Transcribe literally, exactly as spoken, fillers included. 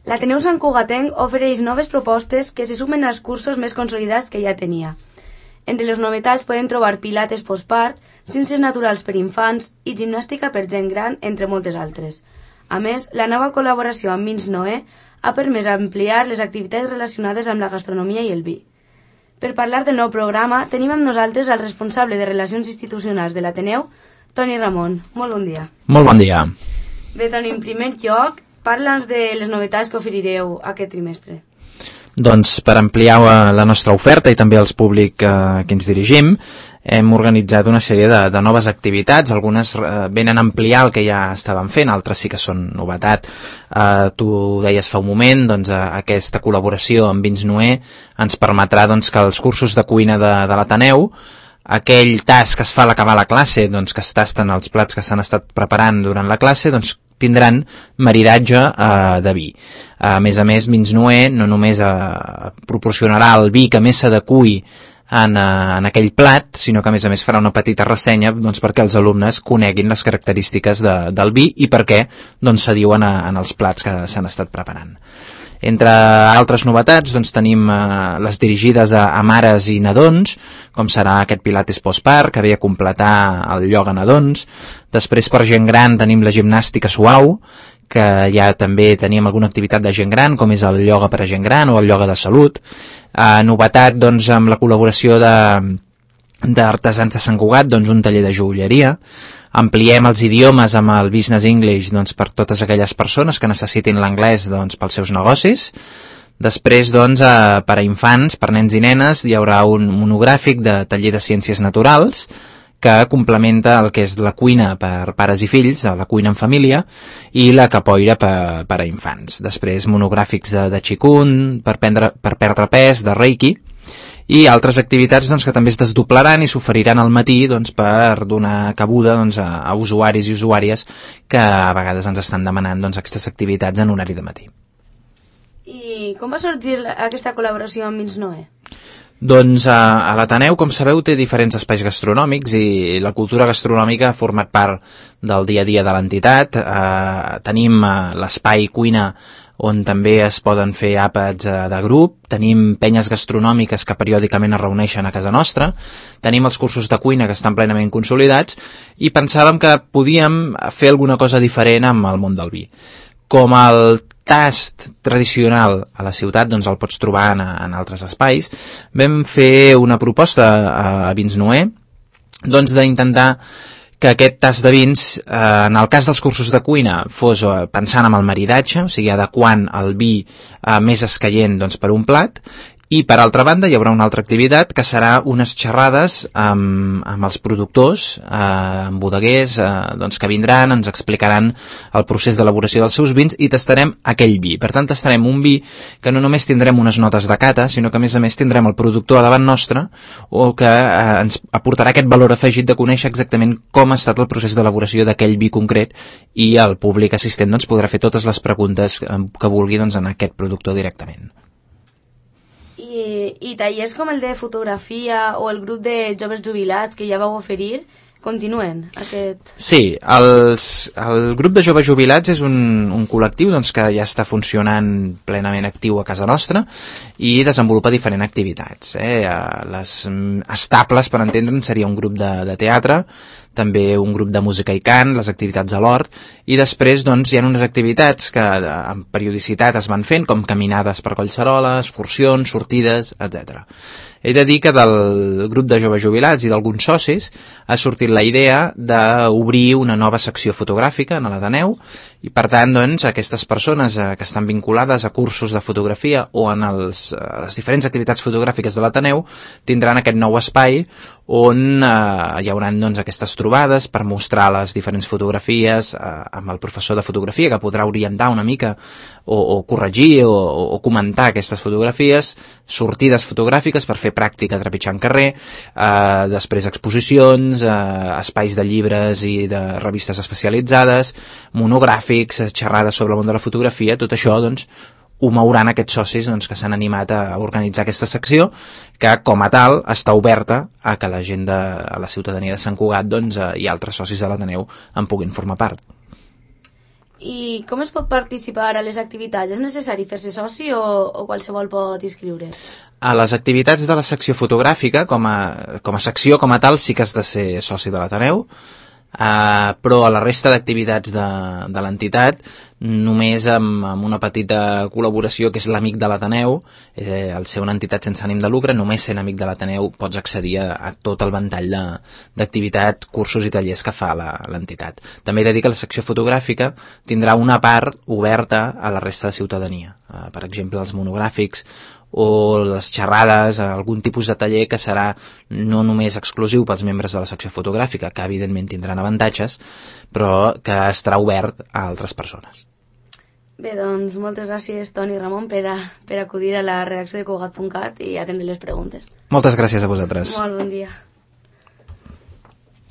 L'Ateneu Sant Cugatenc ofereix noves propostes que se sumen als cursos més consolidats que ja tenia. Entre les novetats poden trobar pilates postpart, ciències naturals per infants i gimnàstica per gent gran, entre moltes altres. A més, la nova col·laboració amb Vins Noé ha permès ampliar les activitats relacionades amb la gastronomia i el vi. Per parlar del nou programa, tenim amb nosaltres el responsable de Relacions Institucionals de l'Ateneu, Toni Ramon. Molt bon dia. Molt bon dia. Bé, Toni, en primer lloc, parla'ns de les novetats que oferireu aquest trimestre. Doncs per ampliar la nostra oferta i també els públic eh, que ens dirigim, hem organitzat una sèrie de, de noves activitats. Algunes eh, venen a ampliar el que ja estàvem fent, altres sí que són novetat. Eh, tu deies fa un moment, doncs, eh, aquesta col·laboració amb Vins Noé ens permetrà doncs, que els cursos de cuina de, de l'Ateneu, aquell tast que es fa a l'acabar la classe, doncs, que es tasten els plats que s'han estat preparant durant la classe, doncs tindran maridatge eh, de vi. A més a més, Vins Noé no només eh, proporcionarà el vi que més s'adequi en, eh, en aquell plat, sinó que a més a més farà una petita ressenya doncs, perquè els alumnes coneguin les característiques de, del vi i per què doncs, s'adiuen a, en els plats que s'han estat preparant. Entre altres novetats, doncs, tenim eh, les dirigides a, a mares i nadons, com serà aquest pilates postpart, que ve a completar el ioga nadons. Després, per gent gran, tenim la gimnàstica suau, que ja també teníem alguna activitat de gent gran, com és el ioga per a gent gran o el ioga de salut. Eh, novetat, doncs, amb la col·laboració de d'Artesans de Sant Cugat, doncs, un taller de joieria. Ampliem els idiomes amb el Business English doncs, per totes aquelles persones que necessitin l'anglès doncs, pels seus negocis. Després, doncs, eh, per a infants, per nens i nenes, hi haurà un monogràfic de taller de ciències naturals que complementa el que és la cuina per pares i fills, la cuina en família, i la capoeira per, per a infants. Després, monogràfics de, de Qigong, per, prendre, per perdre pes, de Reiki, i altres activitats doncs, que també es desdoblaran i s'oferiran al matí doncs, per donar cabuda doncs, a, a usuaris i usuàries que a vegades ens estan demanant doncs, aquestes activitats en horari de matí. I com va sorgir aquesta col·laboració amb Vins Noé? Doncs a, a l'Ateneu, com sabeu, té diferents espais gastronòmics i la cultura gastronòmica ha format part del dia a dia de l'entitat. Eh, tenim eh, l'espai cuina on també es poden fer àpats de grup, tenim penyes gastronòmiques que periòdicament es reuneixen a casa nostra, tenim els cursos de cuina que estan plenament consolidats i pensàvem que podíem fer alguna cosa diferent amb el món del vi. Com el tast tradicional a la ciutat doncs el pots trobar en, en altres espais, vam fer una proposta a, a Vins Noé doncs d'intentar que aquest tast de vins, eh, en el cas dels cursos de cuina, fos eh, pensant en el maridatge, o sigui, adequant el vi eh, més escaient doncs, per un plat, i per altra banda hi haurà una altra activitat que serà unes xerrades amb, amb els productors, eh, amb bodeguers, eh, doncs, que vindran, ens explicaran el procés d'elaboració dels seus vins i tastarem aquell vi. Per tant, tastarem un vi que no només tindrem unes notes de cata, sinó que a més a més tindrem el productor a davant nostre o que eh, ens aportarà aquest valor afegit de conèixer exactament com ha estat el procés d'elaboració d'aquell vi concret i el públic assistent doncs, podrà fer totes les preguntes que vulgui doncs, en aquest productor directament. I, i tallers com el de fotografia o el grup de joves jubilats que ja vau oferir, continuen aquest... Sí, els, el grup de joves jubilats és un, un col·lectiu doncs, que ja està funcionant plenament actiu a casa nostra i desenvolupa diferents activitats. Eh? Les estables, per entendre'n, seria un grup de, de teatre, també un grup de música i cant, les activitats a l'hort, i després doncs, hi ha unes activitats que amb periodicitat es van fent, com caminades per Collserola, excursions, sortides, etcètera. He de dir que del grup de joves jubilats i d'alguns socis ha sortit la idea d'obrir una nova secció fotogràfica en l'Ateneu i per tant doncs, aquestes persones eh, que estan vinculades a cursos de fotografia o en els, eh, les diferents activitats fotogràfiques de l'Ateneu tindran aquest nou espai on eh, hi haurà doncs, aquestes trobades per mostrar les diferents fotografies eh, amb el professor de fotografia que podrà orientar una mica o, o corregir o, o comentar aquestes fotografies, sortides fotogràfiques per fer pràctica trepitjant carrer, eh, després exposicions, eh, espais de llibres i de revistes especialitzades, monogràfics, xerrades sobre el món de la fotografia, tot això doncs ho mouran aquests socis doncs, que s'han animat a organitzar aquesta secció que com a tal està oberta a que la gent de a la ciutadania de Sant Cugat doncs, i altres socis de l'Ateneu en puguin formar part. I com es pot participar a les activitats? És necessari fer-se soci o, o qualsevol pot inscriure's? A les activitats de la secció fotogràfica, com a, com a secció com a tal, sí que has de ser soci de l'Ateneu, Uh, però a la resta d'activitats de, de l'entitat només amb, amb una petita col·laboració que és l'Amic de l'Ateneu, eh, al ser una entitat sense ànim de lucre, només sent Amic de l'Ateneu pots accedir a, a tot el ventall d'activitat, cursos i tallers que fa l'entitat. També he de dir que la secció fotogràfica tindrà una part oberta a la resta de ciutadania, uh, per exemple els monogràfics o les xerrades, algun tipus de taller que serà no només exclusiu pels membres de la secció fotogràfica, que evidentment tindran avantatges, però que estarà obert a altres persones. Bé, doncs moltes gràcies, Toni i Ramon, per, a, per acudir a la redacció de Cugat punt cat i atendre les preguntes. Moltes gràcies a vosaltres. Molt bon dia.